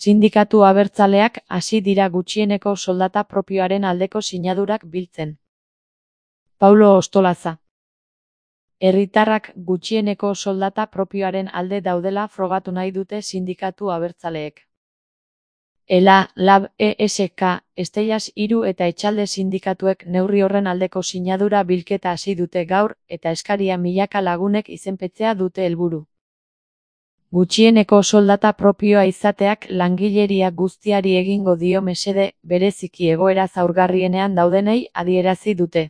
Sindikatu abertzaleak hasi dira gutxieneko soldata propioaren aldeko sinadurak biltzen. Paulo Ostolaza. Herritarrak gutxieneko soldata propioaren alde daudela frogatu nahi dute sindikatu abertzaleek. ELA, LAB, ESK, Estellas 3 eta Etxalde sindikatuek neurri horren aldeko sinadura bilketa hasi dute gaur eta eskaria milaka lagunek izenpetzea dute helburu. Gutxieneko soldata propioa izateak langileria guztiari egingo dio mesede, bereziki egoera zaurgarrienean daudenei adierazi dute.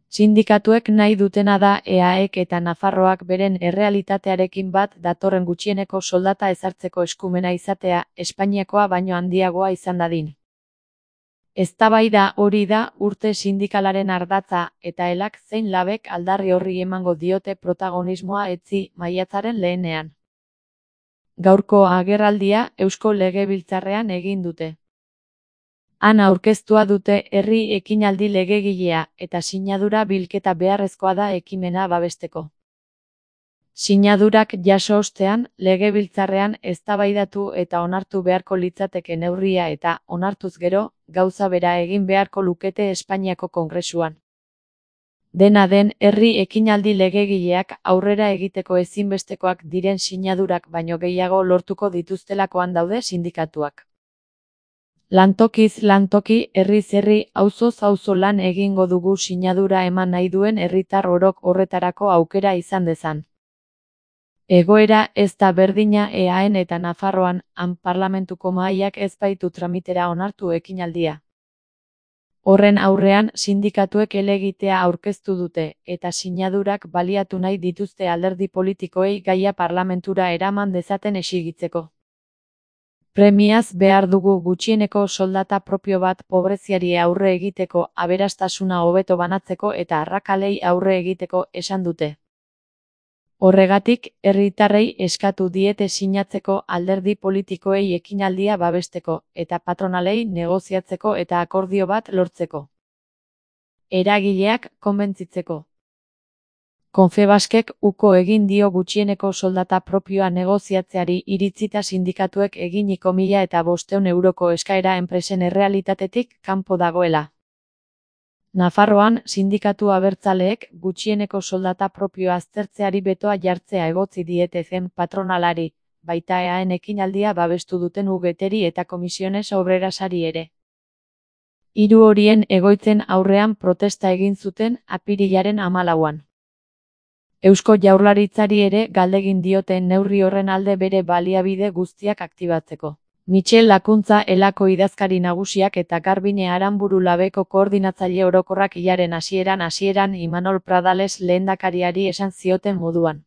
Sindikatuek nahi dutena da EAEk eta Nafarroak beren errealitatearekin bat datorren gutxieneko soldata ezartzeko eskumena izatea, Espainiakoa baino handiagoa izan dadin. Eztabaida hori da urte sindikalaren ardatza eta ELAk zein LABek aldarri horri emango diote protagonismoa etzi maiatzaren lehenean. Gaurko agerraldia Eusko Legebiltzarrean egin dute. Han aurkeztua dute herri ekinaldi legegilea eta sinadura bilketa beharrezkoa da ekimena babesteko. Sinadurak jaso ostean, Legebiltzarrean eztabaidatu eta onartu beharko litzateke neurria eta, onartuz gero, gauza bera egin beharko lukete Espainiako Kongresuan. Dena den, herri ekinaldi legegileak aurrera egiteko ezinbestekoak diren sinadurak baino gehiago lortuko dituztelakoan daude sindikatuak. Lantokiz lantoki, herriz herri, auzoz auzo lan egingo dugu sinadura eman nahi duen herritar orok horretarako aukera izan dezan. Egoera ez da berdina EAEn eta Nafarroan, han parlamentuko mahaiak ez baitu tramitera onartu ekinaldia. Horren aurrean, sindikatuek helegitea aurkeztu dute, eta sinadurak baliatu nahi dituzte alderdi politikoei gaia parlamentura eraman dezaten exigitzeko. Premiaz behar dugu gutxieneko soldata propio bat pobreziari aurre egiteko, aberastasuna hobeto banatzeko eta arrakalei aurre egiteko esan dute. Horregatik, herritarrei eskatu diete sinatzeko alderdi politikoei ekinaldia babesteko, eta patronalei negoziatzeko eta akordio bat lortzeko. Eragileak konbentzitzeko. Confebaskek uko egin dio gutxieneko soldata propioa negoziatzeari iritzita sindikatuek eginiko 1.500 euroko eskaera enpresen errealitatetik kanpo dagoela. Nafarroan, sindikatu abertzaleek gutxieneko soldata propioa aztertzeari betoa jartzea egotzi diete zen patronalari, baita EAEn ekinaldia babestu duten UGTeri eta Comisiones Obrerasari ere. 3 horien egoitzen aurrean protesta egin zuten apirilaren 14an. Eusko Jaurlaritzari ere galdegin dioten neurri horren alde bere baliabide guztiak aktibatzeko. Michel Lakuntza ELAko idazkari nagusiak eta Garbine Aranburu LABeko koordinatzaile orokorrak hilaren hasieran Imanol Pradales lehendakariari esan zioten moduan.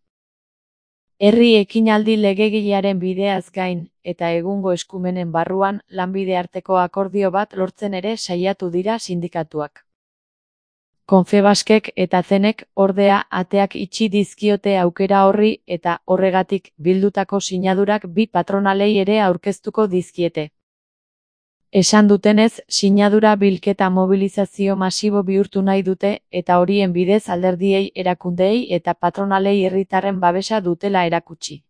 Herri ekinaldi legegilearen bideaz gain, eta egungo eskumenen barruan, lanbide arteko akordio bat lortzen ere saiatu dira sindikatuak. Confebaskek eta Zenek, ordea, ateak itxi dizkiote aukera horri eta, horregatik, bildutako sinadurak bi patronalei ere aurkeztuko dizkiete. Esan dutenez, sinadura bilketa mobilizazio masibo bihurtu nahi dute eta horien bidez alderdiei, erakundeei eta patronalei herritarren babesa dutela erakutsi.